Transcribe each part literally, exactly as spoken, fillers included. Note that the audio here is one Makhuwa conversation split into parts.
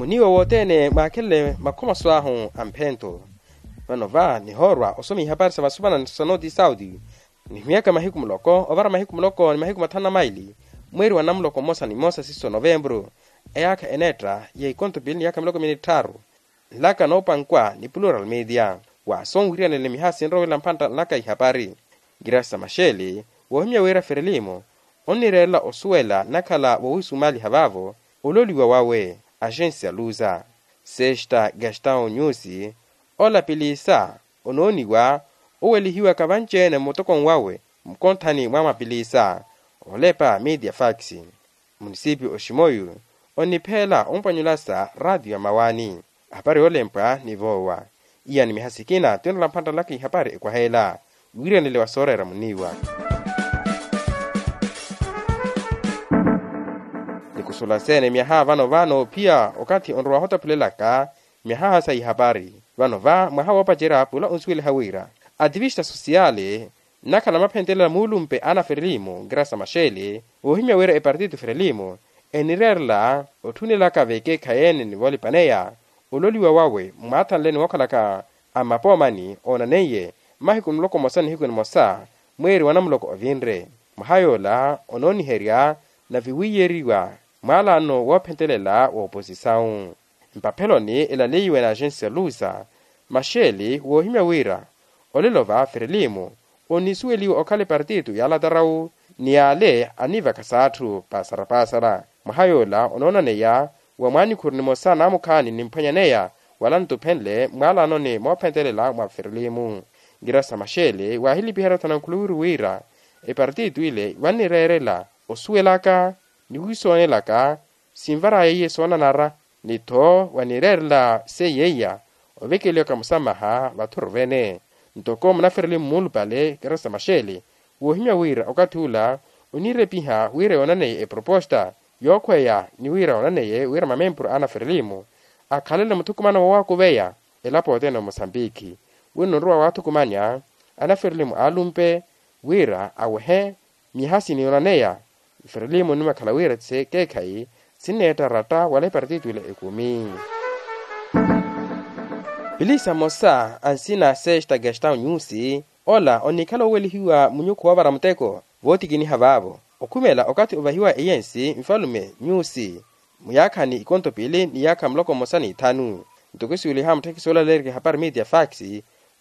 Oniiwa wothene mwaakhelele makhomaso ahu a mphento. Vano va nihoorwa osoma ihapari sa vasuvana sa noti saudi. Nihimyaka mahiku muloko ovara mahiku muloko ni mahiku mathanu na maili, mweeri wa namuloko mmosa ni mmosa siiso novembru, eyaakha eneetta ya ikonto pili ni yaakha miloko mili ni tthaaru. Nlaka noopankwa ni plural media, waaso onwiriyanele miha sinrowela mphantta nlaka ihapari. Grace maxele, woohimya wira ferelimo onnireerela osuwela nakhala wowiisumaaliha vaavo, ololiwa wawe agensia luza. Sesta gastão nyusi, ola pilisa onooniwa owelihiwaka vanci-ene mmutokoni wawe, mmukonthani mwa mapilisa olepa media fax. Munisipi oximoyu onipheela ompwanyulasa raatiyo ya mawaani. Ahapari yoolempwa ni voowa. Iya ni miha sikina tinrola mphantta nlaka ihapari ekwaheela. Wiiranele wa sooreera muniiwa. Nikusulasene myaha vano vano pia okatthi onrowa hotaphulelaka myaha sa ihapari. Vano va mwaha woopacerya pula onsuweliha wira ativista sosiyali nnakhala maphentelela muulumpe ana ferelimu grasa maxele, woohimya wira epartito ferelimu enireerela otthunelaka vekeekhayeene ni voolipaneya ololiwa wawe mwaathanle ni wookhalaka a mmapoomani oonaneiye mmahiku muloko mmosa nihiku nimosa mweeri wa namuloko ovinre. Mwaha yoola onooniherya nave wiiyeriwa mwaalaano woophentelela wooposisawu. Mpapheloni elaleiwe na agensia lusa, maxeli woohimya wira olelo va ferelimu onisuweliwe okhala epartito ya alatarawu ni yaale anivaka s'atthu paasara-paasara. Mwaha yoola onoonaneya wa mwaanikhuru nimosa naamukhaani nimphwanyaneya wala ntuphenle mwaalaanoni moophentelela mwa ferelimu. Ngira sa maxele waahilipiherya othanankhuluwiru wira epartito ile vannireerela osuwelaka ni wiisoonelaka sinvaraya iye soonanara, ni tho wanireerela seiya iya ovekeliwaka musamaha vathuru vene. Ntoko munaferelimu muulupale keresa maxele woohimya wira okathi ula onirepiha wira yoonaneye eproposta yookhweya ni wira yoonaneye wira mamempuru a anaferelimu akhalele muthukumano woowakuveya elapo othene omosambikhi. Wino onrowa waathukumanya anaferelimu aalumpe wira awehe myaha siniyoonaneya. Ferelimu onimakhala wira ti sekeekhayi sinneetta ratta wala epartito ila ekumi. Pilisa mmosa a nsina sesta gastão nyusi ola onikhala owelihiwa munyukhu woovara muteko vootikiniha vaavo okhumela okathi ovahiwa eyensi nfalume nyusi muyaakhani ikonto pili ni yaakha muloko mmosa ni ithanu. Ntoko esiweliha mutthekisi oolaleerika ehapari media fax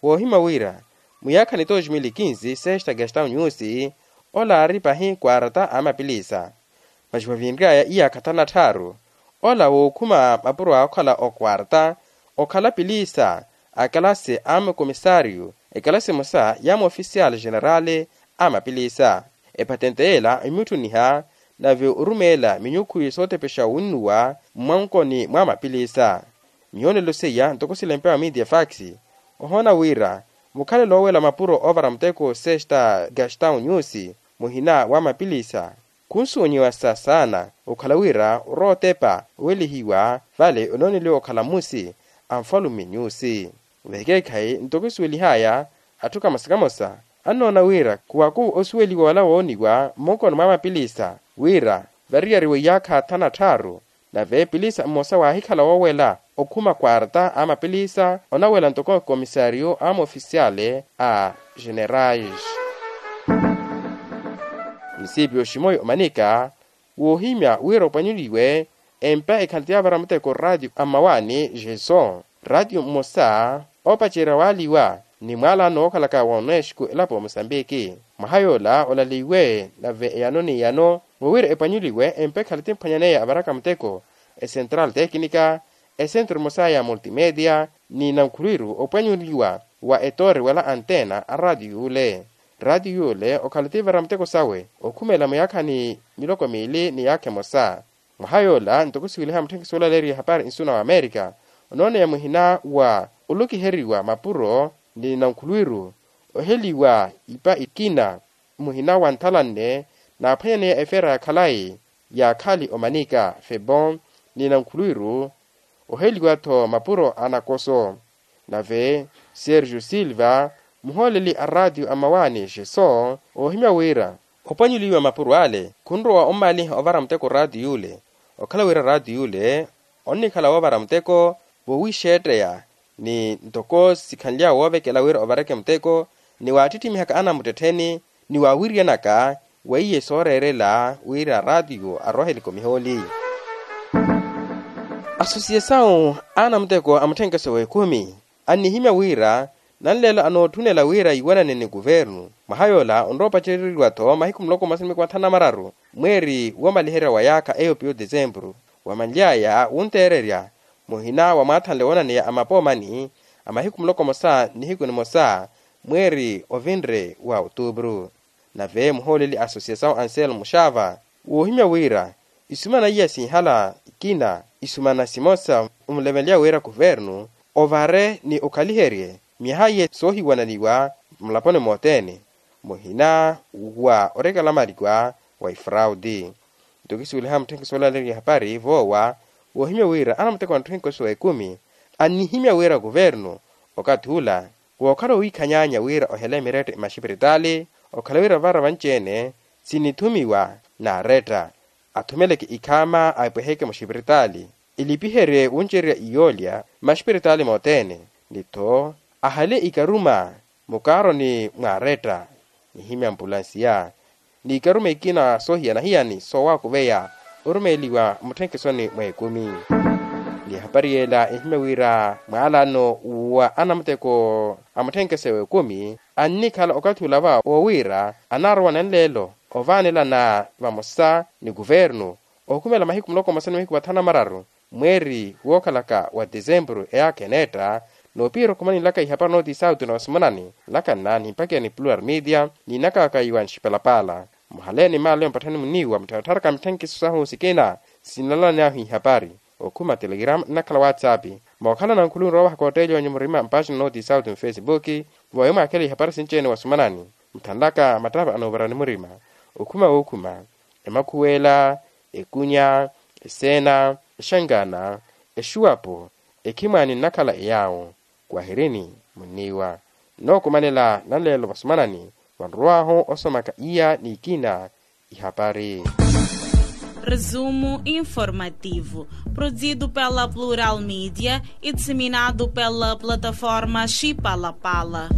woohimya wira muyaakhani dos mil e quinze sesta gastão nyusi ola aari pahi kwarata a mapilisa. Masi wavinry'aya iyaakha thanu na tthaaru ola wookhuma mapuro a okhala okwarta okhala pilisa a kalasi a makomisariyo ekalasi emosa ya moofisiyali jenerali a mapilisa. Epatente yeela imuttuniha nave orumeela minyukhu sootepexa winnuwa mmwankoni mwa mapilisa. Miyoonelo seiya ntoko silempewa media fax ohoona wira mukhalelo oowela mapuro oovara muteko sesta gastão nyusi muhina wa mapilisa khunsuunyiwasa saana okhala wira orootepa owelihiwa vale onooneliwa okhala mmusi a nfalume nyusi. Vekeekhayi ntoko esuwelihaya atthu kamosa kamosa annoona wira khuwaku osuweliwa wala wooniwa mmunkoni mwa mapilisa wira variyariwe iyaakha thanu na tthaaru nave pilisa mmosa waahikhala woowela okhuma kwarta a mapilisa onawela ntoko komisariyo a moofisiyale a jenerais. Misipi oximoyi omanika woohimya wira opwanyuliwe empa ekhala ti yavara muteko raatiyo a mmawaani jeso raatiyo mmosa oopacerya waaliwa ni mwaalano wookhalaka wa unesco elapo ya mosambiki. Mwaha yoola olaleiwe nave eyano n'eyano wowira epwanyuliwe empa ekhala ti mphwanyaneya avaraka muteko esentral teknika esentro emosa ya multimedia ni nankhulwiru opwanyuliwa wa etoori wala antena a raatiyo yuule. Raatiyo yuule okhala ti evara muteko sawe okhumela muyaakhani miloko miili ni yaakha emosa. Mwaha yoola ntoko siweliha mutthekisi woolaleeriwa ehapari nsuna wa amerika onooneya muhina wa olukiheriwa mapuro ni nankhulwiru oheliwa ipa ikina muhina wa nthalanne naaphwanyaneya efera ya khalayi ya khali omanika febon ni nankhulwiru oheliwa-tho mapuro a nakoso. Nave sergio silva muhooleli a raatiyo a mmawaani xeso oohimya wira opwanyuliwa mapuro ale khunrowa ommaaliha ovara muteko raatiyo yuule okhala wira raatiyo yuule Onnikhala woovara muteko, woowixeetteya ni ntoko sikhanly'awe woovekela wira ovareke muteko, ni waattitthimihaka anamuttettheni ni waawiriyanaka weiye sooreerela wira raatiyo aroohele komihooli. Asosiyasawu a anamuteko a mutthenkeso w'ekhumi annihimya wira nanleelo anootthunela wira iwanane ni kuvernu mwaha yoola onrowa opacereriwa-tho mahiku muloko mmosa ni mahiku mathanu na mararu mweeri woomaliherya wa yaakha eyo piyo desempuru. Wamanly'aya wunteererya muhina wa mwaathanle woonaneya a mapoomani a mahiku muloko mmosa nihiku nimosa mweeri ovinre wa otuupuru. Nave muhooleli a asosiyasawu anselmo xava woohimya wira isumana iya sinhala ikina isumana simosa omulemelya wira kuvernu ovare ni okhaliherye myaha iye soohiwananiwa mulaponi mothene muhina wa orekelamaliwa wa ifrauti. Nto kisuweliha mutthenkeso olaleeriwa ihapari voowa woohimya wira anamuteko a mutthenkeso w'ekumi annihimya wira kuvernu okathi ula wookhala owiikhanyaanya wira ohele mirette maxipiritaali okhala wira vara vanci-ene sinithumiwa naaretta athumeleke ikhaama aipweheke muxipiritaali ilipiherye wuncererya iyoolya maxipiritaali mothene ni-tho ahale ikaruma mukaaroni mwaaretta nihimya mpulansiya n'ikaruma ikina soohiyana-hiyani soowakuveya orumeeliwa mutthenkesoni mw'ekumi. Ni ehapari yeela ehimya wira mwaalaano wa anamuteko a mutthenkeso w'ekumi annikhala okathi ula va woowiira anaarowa nanleelo ovaanelana vamosa ni kuvernu ohukhumela mahiku muloko mmosa ni mahiku mathanu na mararu mweeri wookhalaka wa tisempuru eyaakha eneetta. Noopiira okhumanilaka ihapari nooti sauti na wasumanani nlakanna ni mpakiya ni plural media niinakaka iwa nxipalapaala muhaleeni maalo mpatthani muniiwa muttharatharaka mitthenkiso sahu sikina sinnalanyahu ihapari okhuma telegram nnakhala whatsapp mookhalana nkhuluwi nrowa wahaka otteeli onyu murima mpaaxina nooti sauti mufesibuki vooyo mwaakhela ihapari sinci-ene wasumanani muthanlaka mattava anoovara ni murima okhuma wookhuma emakhuweela ekunya eseena exangana exuwapo ekhimwaani nnakhala eyaawo kwahirini munniiwa nnookumanela nanleelo vasumanani vanrowaahu osomaka iya n'ikina ihapari. Resumo informativo produzido pela plural media e disseminado pela plataforma xipalapala.